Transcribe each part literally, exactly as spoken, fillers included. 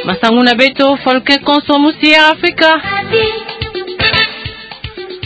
Masangu na beto, Folke Konso, musi ya Afrika.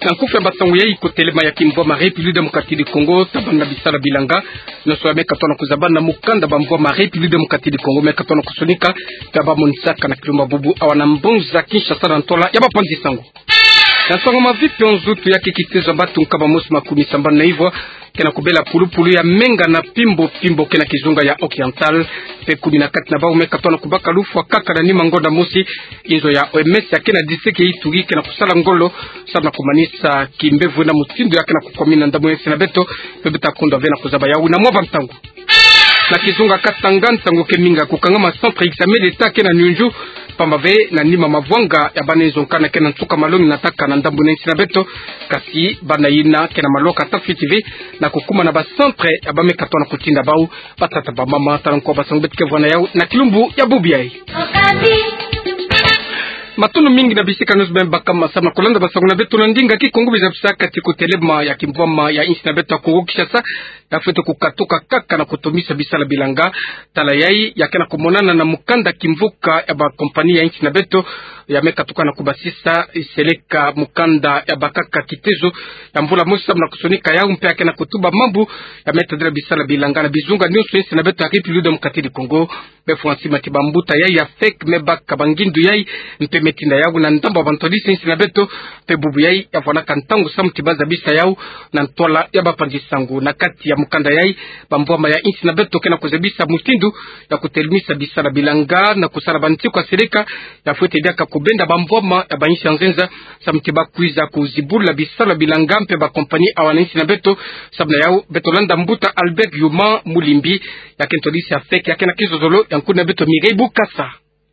Na nkufi ya masangu yayi, kotelema ya kimvwama République Démocratique du Congo, tabana na bisalu ya bilanga. Nyonso ya me katona kuzabana na mukanda bamvwama République Démocratique du Congo me katona kusonika, ya bamonisaka na kilumbu bubu awa na mbanza Kinshasa na ntola ya bapanzi sango. Na nsangu mavipi, nzutu ya kitezo ya batu nkama mosi makumi sambanu na ivwa ke na kubela pulupulu ya menga na pimbo pimbo ke na kizunga ya Occidental. Mpe kumi na kati na bau me katona kubaka lufwa kaka na nima ngonda mosi. Inzo ya O M S ya ke na district ya Ituri ke na kusala ngolo samu na kumanisa kimbevo na mutindu ya ke na kukwamina ndambu ya insi na beto. Mpe beto ta kundwa ve na kuzaba yau na mwa bantangu. Na kizunga Katanga, nsangu ke minga kukangama, centre examen d'État ke na Nyunju, pamba ve na nima mavwanga ya bana inzo nkana ke na nsuka malongi na taka na ndambu na insi na beto. Kasi bana yina ke na malwaka ta fiti ve na kukuma na ba centre ya ba me katona kutinda bau. Batata, bamama, tala nko basangu beto ke vwa na yau na kilumbu ya bubu yayi. Matondo mingi na bisika nyonso beno baka masamu na kulanda basangu na beto na ndinga Kikongo. Biza bisaka ti kotelema ya kimvwama ya insi na beto ya Kongo Kinshasa ya fwete kukatuka kaka na kutomisa bisalu ya bilanga. Tala yayi ya ke na kumonana na mukanda kimvuka ya ba compagnie ya insi na beto ya me katuka na kubasisa seleka mukanda ya bakaka kitezo ya mvula mosi samu na kusonika yau, mpe ya ke na kutuba mambu ya me tadila bisalu ya bilanga na bizunga nyonso ya insi na beto ya République Démocratique du Congo. Mpe fwa nsima ti bambuta yayi ya fek me baka bangindu yayi, mpe me tinda yau na ndambu ya bantwadisi ya insi na beto. Mpe bubu yayi ya vwanaka ntangu samu ti bazabisa yau na ntwala ya bapanzi sango. Na kati ya mukanda yayi, bamvwama ya insi na beto ke na kuzabisa mutindu ya kutelemisa bisalu ya bilanga na kusala bantiku ya seleka ya fwete diaka kubenda bamvwama ya ba insi ya nzenza samu ti bakwiza kuzibula bisalu ya bilanga mpe ba compagnie awa na insi na beto. Samu na yau beto landa mbuta Albert Yuma Mulimbi, ya ke ntwadisi ya fek, ya ke na kizozolo ya nkuna beto Mireille Bukasa.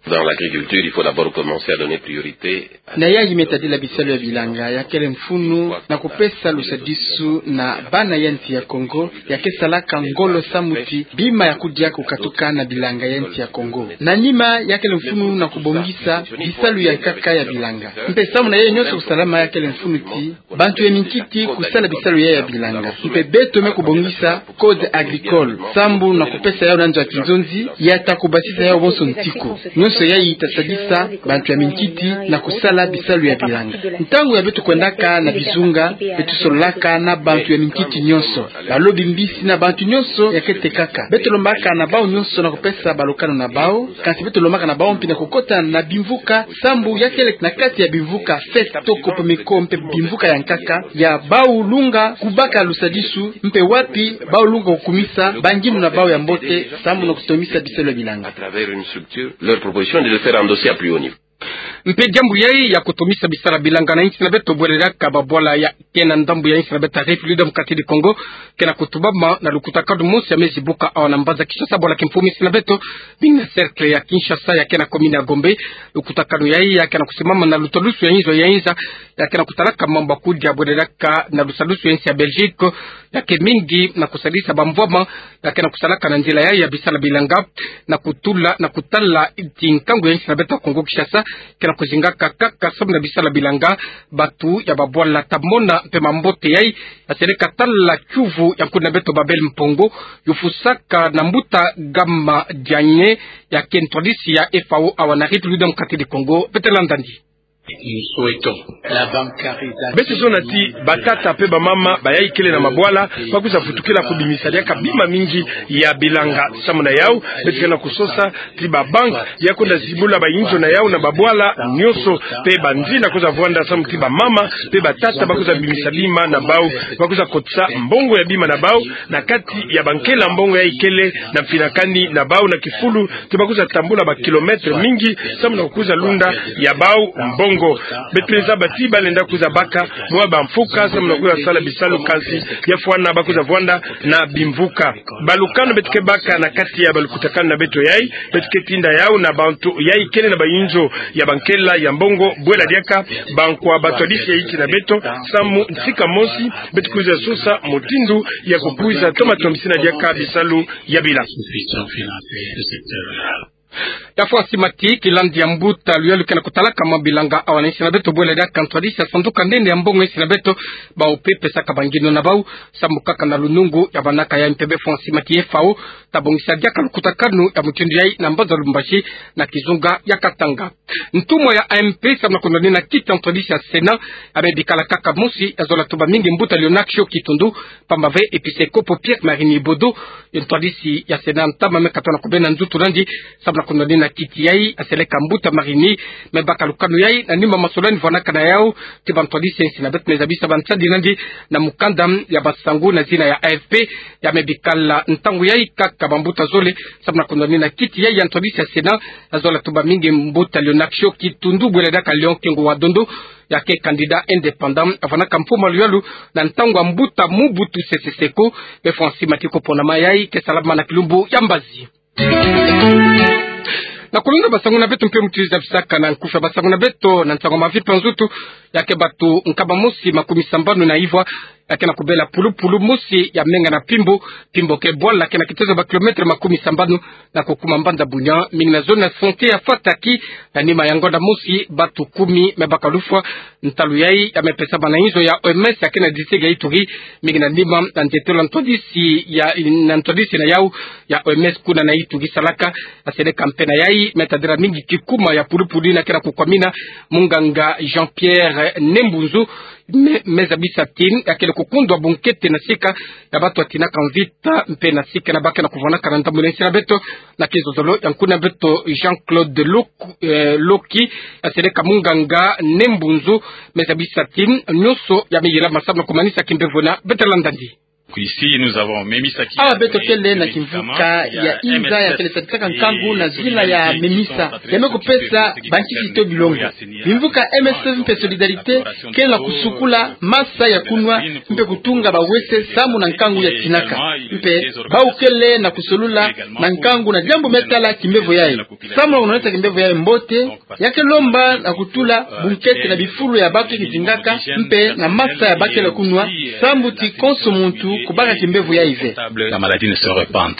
Dans l'agriculture, il faut d'abord commencer à donner priorité à... Na yayi me tadila bisalu ya bilanga, ya kele mfunu na kupesa lusadisu na bana ya nsi ya Kongo ya ke salaka ngolo samu ti bima ya kudia kukatuka na bilanga ya nsi ya Kongo. Na nima, ya kele mfunu na kubongisa bisalu ya nkaka ya bilanga. Mpe samu na yayi nyonso kusalama, ya kele mfunu ti bantu ya minkiti kusala bisalu yayi ya bilanga. Mpe beto me kubongisa code agricole sambu na kupesa yau na nzo ya kinzonzi ya ta kubasisa yau bonso ntiku. Nyonso yayi ta sadisa bantu ya minkiti na kusala bisalu ya bilanga. Ntangu ya beto kwendaka na bizunga, beto sololaka na bantu ya minkiti nyonso, balobi mbisi na bantu nyonso ya ke tekaka. Beto lombaka na bau nyonso na kupesa balukanu na bau, kasi beto lombaka na bau mpi na kukota na bimvuka, sambu ya kele na kati ya bimvuka fête to Kopomeko mpe bimvuka ya nkaka, ya bau lunga kubaka lusadisu, mpe wapi bau lunga kukumisa bangindu na bau ya mbote sambu na kutomisa bisalu ya bilanga. À travers une structure, leur proposition de le faire endosser à plus haut niveau. Mpe diambu yayi ya kutomisa bisalu ya bilanga na insi na beto, bwele diaka babwala ya ke na ndambu ya insi na beto ya République Démocratique du Congo ke na kutubama na lukutakanu mosi ya me zibuka awa na mbanza Kinshasa, bwala kimfumu insi na beto, bing na cercle ya Kinshasa ya ke na commune ya Gombe. Lukutakanu yayi ya ke na kusimama na lutalusu ya inzo ya inza ya ke na kutalaka mambu ya kudia, bwele diaka na lusalusu ya insi ya Belgique, ya ke mingi na kusadisa bamvwama ya ke na kusalaka na nzila yayi ya bisalu ya bilanga, na kutula, na kutala ti nkangu ya insi na beto ya Kongo Kinshasa ke na kuzingaka kaka samu na bisalu ya bilanga. Batu ya babwala ta mona mpe mambote yayi, ya seleka tala kiuvu ya nkuna beto Babel Mpongo, yufusaka na mbuta Gama Dianye, ya ke ntwadisi ya F A O awa na République Démocratique du Congo. Beto landa ndi. Beto zonza ti batata mpe bamama bayayi kele na mabwala bakwiza vutukila kubimisa diaka bima mingi ya bilanga. Samu na yau, beto ke na kusosa ti ba banque ya kwenda zibula ba inzo na yau na babwala nyonso, mpe banzila kwiza vwanda samu ti bamama mpe batata bakwiza bimisa bima na bau, bakwiza kotisa mbongo ya bima na bau na kati ya bankela mbongo yayi kele na mfinakani na bau na kifulu, ti bakwiza tambula ba kilomètre mingi samu na kukwiza lunda ya bau mbongo. Beto zaba ti balenda kwiza baka mwa bamfuka samu na kwiza sala bisalu, kasi ya fwana bakwiza vwanda na bimvuka. Balukanu beto ke baka na kati ya balukutakanu na beto yayi, beto ke tinda yau na bantu yayi kele na ba inzo ya bankela ya mbongo, bwela diaka bankwa batwadisi ya insi na beto, samu nsika mosi beto kwiza sosa mutindu ya kukwiza toma tomisina diaka bisalu ya bila. Ya fwa nsi mati, kilandi ya mbuta luyalu ke na kutalaka mwa bilanga awa na insi na beto, bwela diaka ntwadisi ya sanduka nene ya mbongo insi na beto, bau pe pesaka ba nginu na bau, samu kaka na lunungu ya banaka ya M P B. Fwa nsi mati, F A O ta bongisa diaka lukutakanu ya mutindu yayi na mbanza Lubumbashi, na kizunga ya Katanga. Ntumwa ya A M P samu na kunwanina kiti ya ntwadisi ya Sénat, ya me bikala kaka mosi ya zola tuba mingi, mbuta Léonard Ciok Kitundu, pamba ve episekopo Pierre Marini Bodo, ntwadisi ya Sénat ntama me katoa na kubena nzutu nandi, samu na kunwanina kiti yayi, aseleka mbuta Marini, me baka lukanu yayi na nima masolani vwanaka na yau ti bantwadisi ya insi na beto, me zabisa bansadi nandi na mukanda ya basangu na zina ya A F P, ya me bikala ntangu yayi kaka bambuta zole, samu na kunwanina kiti yayi ya ntwadisi ya Sénat, ya zola tuba mingi mbuta Léonard Ciok Kitundu, bwela diaka Léon Kengo wa Dondo, ya ke candidat indépendant, avwanaka mfumu luyalu na ntangu ya mbuta Mobutu Sese Seko. Be fwa nsi mati, koponama yayi ke salama na kilumbu ya mbazi. Na kulonda basangu na beto mpe muti zabisaka na nkufi ya basangu na beto, na nsangu ya mavimpi ya nzutu, ya ke bato nkama mosi makumi sambanu na ivwa ya ke na kubela pulupulu mosi ya menga na Pimbo. Pimbo ke bwala ke na kitezo ba kilometre makumi sambanu na kukuma mbanza Bunia, mingi na zone ya santé ya Fataki. Na nima ya ngonda mosi, bato kumi me baka lufwa. Ntalu yayi ya me pesama na inzo ya O M S ya ke na district ya Ituri, mingi na nima na ntetelo ya ntwadisi ya, na ntwadisi na yau ya O M S kuna na Ituri, salaka aseleka mpe na yayi me tadila mingi kikuma ya pulupulu ina ke na kukwamina munganga Jean-Pierre Nembunzu. Me, me zabisa ti ya kele kukundwa bunkete na sika ya bato ya tinaka mvita mpe na sika na ba ke na kuvwanaka na ndambu na insi na beto. Na kizozolo ya nkuna beto Jean-Claude Lok-, eh, Loki, aseleka munganga Nembunzu, me zabisa ti nyonso ya me yilama samu na kumanisa kimbevo. Na beto landa nandi. Ici, nous avons Memi Saki. Awa beto kele na kimvuka ya inza ya kele sadisaka nkangu na zina ya Memisa, ya me kupesa bankisi to bilongo. Bimvuka M S F mpe Solidarité kele na kusukula masa ya kunwa mpe kutunga bawese samu na nkangu ya tinaka. Mpe bau kele na kusolula na nkangu na diambu me tala kimbevo yayi. Samu na kunwanisa kimbevo yayi mbote, ya ke lomba na kutula bunkete na bifulu ya bato ya kizingaka mpe na masa ya ba kele kunwa, sambu ti konso muntu kubaka kimbevo yayi ve. La maladie ne se répande.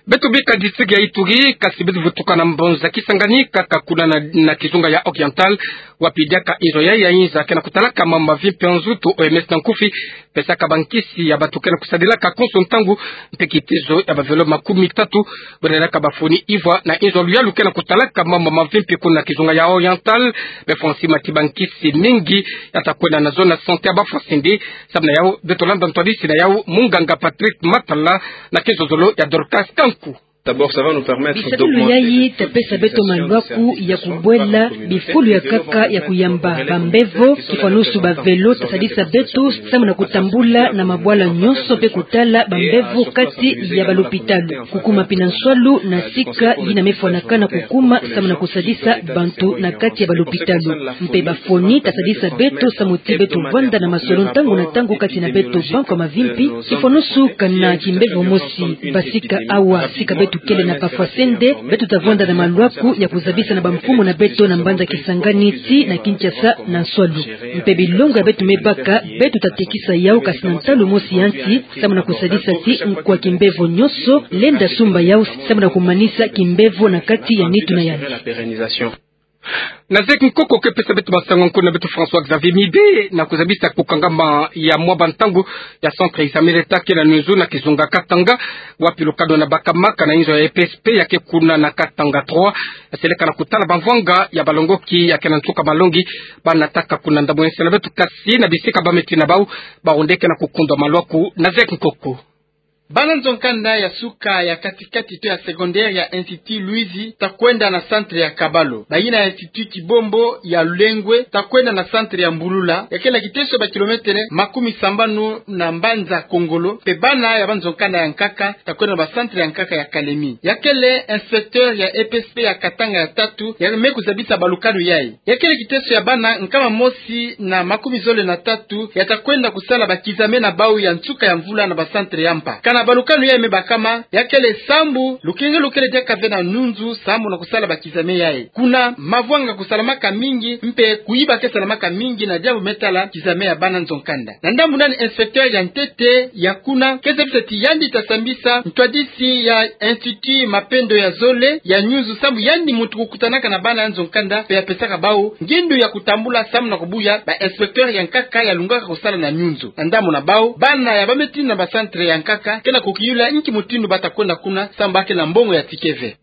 Beto bika district ya Ituri, kasi beto vutuka na mbanza Kisangani, kaka kuna na, na kizunga ya Oriental, wapi diaka inzo yayi ya inza ke na kutalaka mambu mavimpi ya nzutu, O M S na nkufi, pesaka bankisi ya bato ke na kusadilaka konso ntangu, mpe kitezo ya bavelo makumi tatu, bwela diaka bafoni ivwa na inzo luyalu ke na kutalaka mambu mavimpi kuna na kizunga ya Oriental. Be fwa nsi mati, bankisi mingi ya ta kwenda na zone ya santé ya Bafwasende. Samu na yau, beto landa ntwadisi na yau, munganga Patrick Matala, na kizozolo ya Dorcas Kanku. D'abord, ça va nous permettre d'augmenter notre taux d'hospitalisation, puisque ce sont des soins communautaires qui ne sont pas communautaires, et développer un système de soins communautaires. Bisalu yayi ta pesa beto maluaku ya kubwela bifulu ya nkaka ya kuyamba bambevo, kifwanusu bavelo ta sadisa beto samu na kutambula na mabwala nyonso mpe kutala bambevo kati ya balopitalo. Kukuma pina nswalu na sika yina me fwanakana kukuma samu na kusadisa bantu na kati ya balopitalo. Mpe bafoni ta sadisa beto samu ti beto vwanda na masolo ntangu na ntangu kati na beto banko mavimpi, kifwanusu kana kimbevo mosi. Basika awa, sika beto kele na Bafwasende, beto ta vwanda na maluaku ya kuzabisa na bamfumu na beto na mbanza Kisangani ti na Kinshasa na nswalu. Mpe bilongo ya beto me baka, beto ta tekisa yau kasi na ntalu mosi ya nsi, samu na kusadisa ti nkwa kimbevo nyonso lenda sumba yau, samu na kumanisa kimbevo na kati ya nitu na yandi. Na zeki nkoko ke pesa beto masangu, nkuna beto François Xavier Mibe, na kuzabisa kukangama ya mwa bantangu ya centre examen d'État ke na Nunzu na kizunga Katanga, wapi lukano na bakamaka na inzo ya E P S P ya ke kuna na Katanga trois, ya seleka na kutala bamvwanga ya balongoki ya ke na nsuka malongi. Bana taka kuna ndambu ya nsi na beto, kasi na bisika ba me tina bau, bawu nde ke na kukundwa maluaku na zeki nkoko. Bana nzo-nkanda ya suka ya kati-kati to ya secondaire ya Institut Luizi ta kwenda na centre ya Kabalo. Bayina ya Institut Kibombo ya Lulengwe ta kwenda na centre ya Mbulula, ya kele na kiteso ba kilometre makumi sambanu na mbanza Kongolo, mpe bana ya banzo-nkanda ya nkaka ta kwenda na ba centre ya nkaka ya Kalemi. Ya kele inspecteur ya E P S P ya Katanga ya tatu ya me kuzabisa balukanu yayi. Ya kele kiteso ya bana nkama mosi na makumi zole na tatu ya ta kwenda kusala ba kizame na bau ya nsuka ya mvula na ba centre ya mpa. Na balukanu yayi me bakama, ya kele sambu lukengelukele diaka ve na nyunzu sambu na kusala bakizame yayi. Kuna mavwanga kusalamaka mingi, mpe kuyiba ke salamaka mingi na diambu me tala kizame ya bana nzo nkanda. Na ndambu nani inspecteur ya ntete ya kuna ke zabisa ti yandi ta sambisa ntwadisi ya Institut Mapendo ya zole ya nyunzu sambu yandi muntu kukutanaka na bana ya nzo nkanda mpe ya pesaka bau ngindu ya kutambula sambu na kubuya ba inspecteur ya nkaka ya lungaka kusala na nyunzu. Na ndambu na bau, bana ya bameti na ba centre ya nkaka ke na kukiyula nki mutindu bata kwenda kuna sambu ba ke na mbongo ya ticket ve.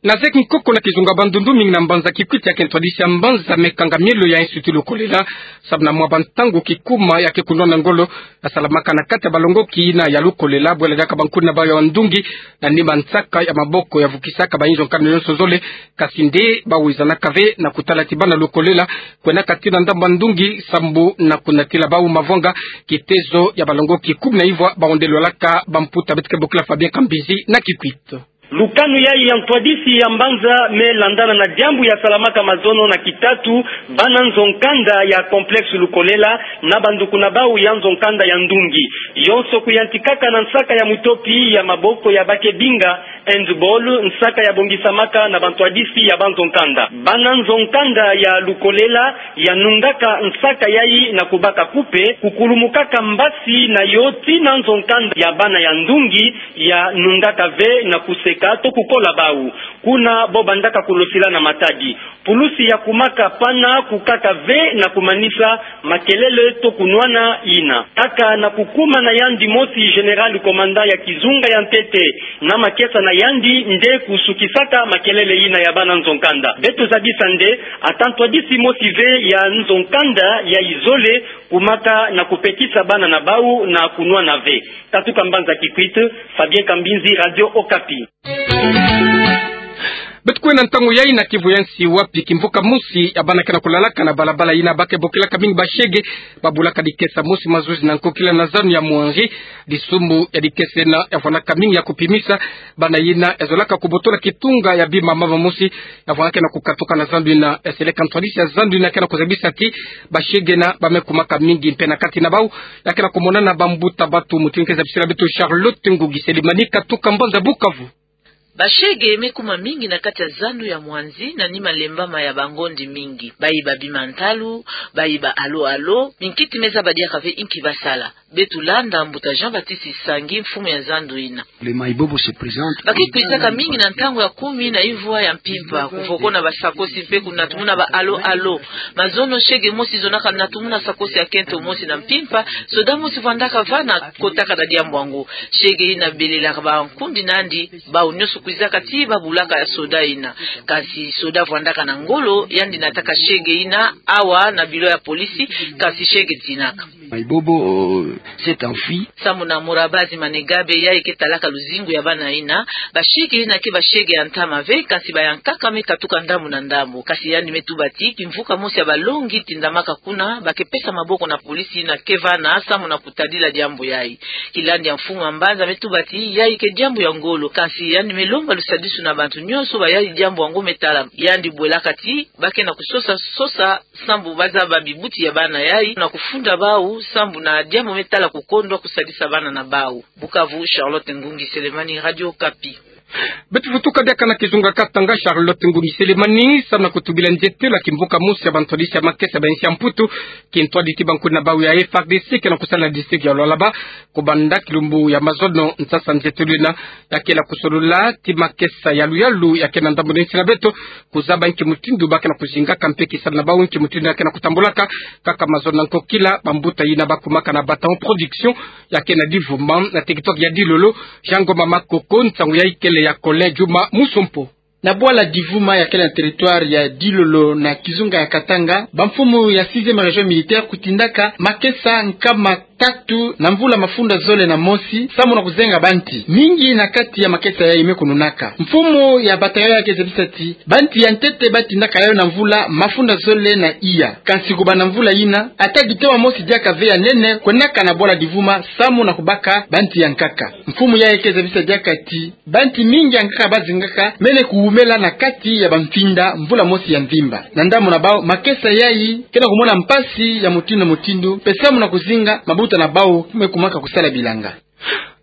Na zeki nkoko na kizunga Bandundu, mingi na mbanza Kikwit ya ke ntwadisi ya mbanza me kanga mielo ya Institut Lukolela sambu na mwa bantangu kikuma ya ke kunwana ngolo ya salamaka na kati ya balongoki yina ya Lukolela, bwela diaka bankuni na bau ya ndungi na nima nsaka ya maboko ya vukisaka bayinzo nkanda nyonso zole. Kasi nde bawizanaka ve na kutala ti bana Lukolela kwenaka tii na ndambu ya ndungi sambu na kunatila bau mavwanga, kitezo ya balongoki kumi na ivwa baondelwalaka bamputa. Beto ke bokila Fabien Kambinzi na Kikwit. Lukanu yayi ya ntwadisi ya mbanza me landana na diambu ya salamaka mazono na kitatu bana nzo nkanda ya Complexe Lukolela na banduku na bau ya nzo nkanda ya ndungi. Yonso kuyantikaka na nsaka ya mutopi ya maboko ya ba ke binga handball, nsaka ya bongisamaka na bantwadisi ya banzo nkanda. Bana nzo nkanda ya Lukolela ya nungaka nsaka yayi na kubaka kupe, kukulumukaka mbasi na yo tii na nzo nkanda ya bana ya ndungi, ya nungaka ve na kuseka to kukola bau. Kuna bo bandaka kulosila na matadi. Pulusi ya kumaka pana kukaka ve na kumanisa makelele to kunwana yina. Kaka na kukuma na yandi mosi général commandant ya kizunga ya ntete na makesa na yandi nde kusukisaka makelele yina ya bana nzo nkanda. Beto zabisa nde ata ntwadisi mosi ve ya nzo nkanda yayi zole kumaka na kupekisa bana na bau na kunwana ve. Katuka mbanza Kikwit, Fabien Kambinzi, Radio Okapi. Beto kwenda ntangu yayi na Kivu ya nsi, wapi kimvuka mosi ya bana ke na kulalaka na balabala yina ba ke bokelaka mingi bashege, babulaka dikesa mosi mazuzi na nkokila na zanu ya mwanzi. Disumu ya dikesa yina ya vwandaka mingi ya kupimisa bana yina ya zolaka kubotola kitunga ya bima mama mosi ya vwandaka na kukatuka na zandu yina. Seleka ntwadisi ya zandu yina ke na kuzabisa ti bashege yina ba me kumaka mingi mpe na kati na bau ya ke na kumonana bambuta bantu. Mutindu ke zabisila beto Charlotte Ngungi Selemani, katuka mbanza Bukavu. Bashege me kuma mingi na kati ya zandu ya mwanzi na nima lembama ya bangondi mingi. Bayiba bima ntalu, bayiba alo-alo, minkiti me zaba diaka ve inki basala. Beto landa mbuta Jean-Baptiste Sangi, mfumu ya zandu yina. Le Mayibobo se présente. Ba ke kwizaka mingi na ntangu ya kumi na ivwa ya mpimpa, kuvoko na basakosi mpe kunatumuna ba alo-alo. Mazono shege mosi zonaka natumuna sakosi ya kento mosi na mpimpa, soda mosi vwandaka vana kotaka na diambu yango. Shege yina belelaka bankundi nandi, bau nyonso kwizaka ti babulaka soda yina. Kasi soda vwandaka na ngolo, yandi nataka shege yina awa na bilo ya polisi, kasi shege dinaka. Mayibobo, euh, s'est enfui. Sambu na Murabazi Manegabe, yayi ke talaka luzingu ya bana yina, bashege yina ke bashege ya ntama ve, kasi ba ya nkaka me katuka ndambu na ndambu. Kasi yandi me tuba ti kimvuka mosi ya balongi tindamaka kuna, ba ke pesa maboko na polisi yina ke vana sambu na kutadila diambu yayi. Kilandi ya mfumu ya mbanza me tuba ti yayi ke diambu ya ngolo, kasi yandi me lomba lusadisu na bantu nyonso bayayi diambu yango me tala. Yandi bwelaka ti ba ke na kusosa sosa sambu bazaba bibuti ya bana yayi na kufunda bau sambu na diambu me tala kukondwa kusadisa bana na bau. Bukavu, Charlotte Ngungi Selemani, Radio Okapi. Beto vutuka diaka na kizunga Katanga. Charlotte Ngungi Selemani, sambu na kutubila nzietelo ya kimvuka mosi ya bantwadisi ya makesa ba nsi ya Mputu, kintwadi ti bankuni na bau ya F A R D C ke na kusala na district ya Lualaba, kubanda kilumbu ya mazono. Nsasa nzietelo yina ya ke na kusolula ti makesa ya luyalu ya ke na ndambu na nsi na beto, kuzaba nki mutindu ba ke na kuzingaka mpe kisalu na bau nki mutindu ya ke na kutambulaka. Kaka mazono na nkokila, bambuta yina ba kumaka na Bataon Production ya ke na Divuma na territoire ya Dilolo, Jean Ngoma Makoko, nsangu yayi kele ya Colin Juma Musompo. Na bwala Divuma ya kele na territoire ya Dilolo na kizunga ya Katanga, bamfumu ya sixième région militaire kutindaka makesa nkama tatu na mvula mafunda zole na mosi, sambu na kuzenga banti. Mingi na kati ya makesa yayi me kununaka. Mfumu ya bataillon ya ke zabisa ti banti ya ntete ba tindaka yayo na mvula mafunda zole na iya. Kansi kubanda mvula yina, ata gitoma mosi diaka ve ya nene kwendaka na bwala Divuma, sambu na kubaka banti ya nkaka. Mfumu yayi ke zabisa diaka ti banti mingi ya nkaka ba zingaka mene kuwumela na kati ya bamfinda mvula mosi ya mvimba. Na ndambu na bau, makesa yayi ke na kumona mpasi ya mutindu na mutindu, mpe sambu na kuzinga mabuta na bau me kumaka kusala bilanga.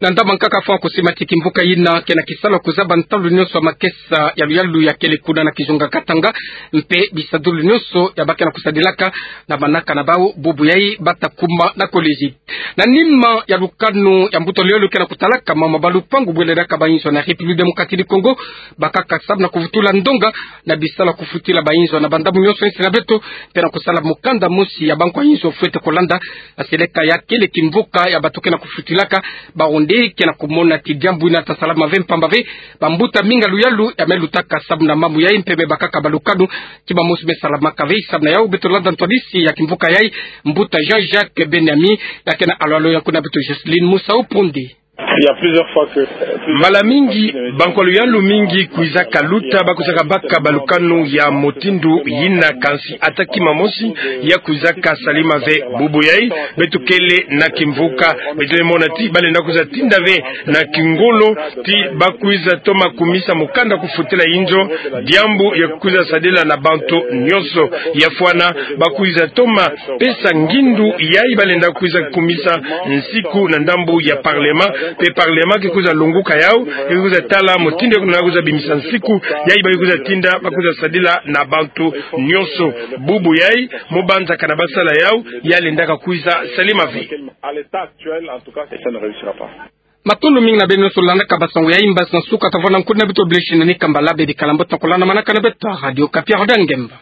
Na ndambu nkaka fwa kusimba ti kimvuka yina ke na kisala kuzaba ntalu nyonso ya makesa ya luyalu ya kele kuna na kizunga Katanga, mpe bisadulu nyonso ya ba ke na kusadilaka na manaka na bau, bubu yayi bata kuma na collège. Na nima ya lukanu ya mbuta luyalu ke na kutalaka mama ba lupangu bwele daka ba inzo na République Démocratique du Congo, bakaka sabu na kuvutula ndonga na bisalu ya kufutila ba inzo na ba ndambu nyonso insi na beto, mpe na kusala mukanda mosi ya bankwa inzo fwete kulanda. Na seleka ya kele kimvuka ya bato ke na kufutilaka, bawu nde ke na kumona ti diambu yina ta salama ve, mpamba ve bambuta mingi ya luyalu ya me lutaka sabu na mambu yayi, mpe me bakaka ba lukanu ti mamosi me salamaka ve. Sabu na yawu beto landa ntwadisi ya kimvuka yayi, mbuta Jean-Jacques Benyami, ya ke na alwalo ya kuna beto Jocelyne Musa Upundi. Il y a plusieurs fois que, euh, plusieurs... Mbala mingi, bankwa luyalu mingi kwizaka luta, bakwizaka baka ba lukanu ya mutindu yina, kansi ata kima mosi ya kwizaka salama ve. Bubu yayi, beto kele na kimvuka, beto me mona ti balenda kwiza tinda ve na kingolo ti bakwiza toma kumisa mukanda kufutila inzo, diambu ya kwiza sadila na bantu nyonso. Ya fwana, bakwiza toma pesa ngindu yayi balenda kwiza kumisa nsiku na ndambu ya parlement, mpe parlement ke kwiza lunguka yawu, ke kwiza tala mutindu ya kuna kwiza bimisa nsiku yayi ba ke kwiza tinda, bakwiza sadila na bantu nyonso. Bubu yayi, mu banzakana ba sala yawu, ya lendaka kwiza salama ve. À l'état actuel, en tout cas, ça ne réussira pas. Matondo mingi na beno nyonso landaka ba sango yayi. Mbasi na suka ta vwanda nkudi na beto, blessing na ni kambala beri kala mbote na kulanda manaka na beto ya Radio Okapi. Roda Ngemba.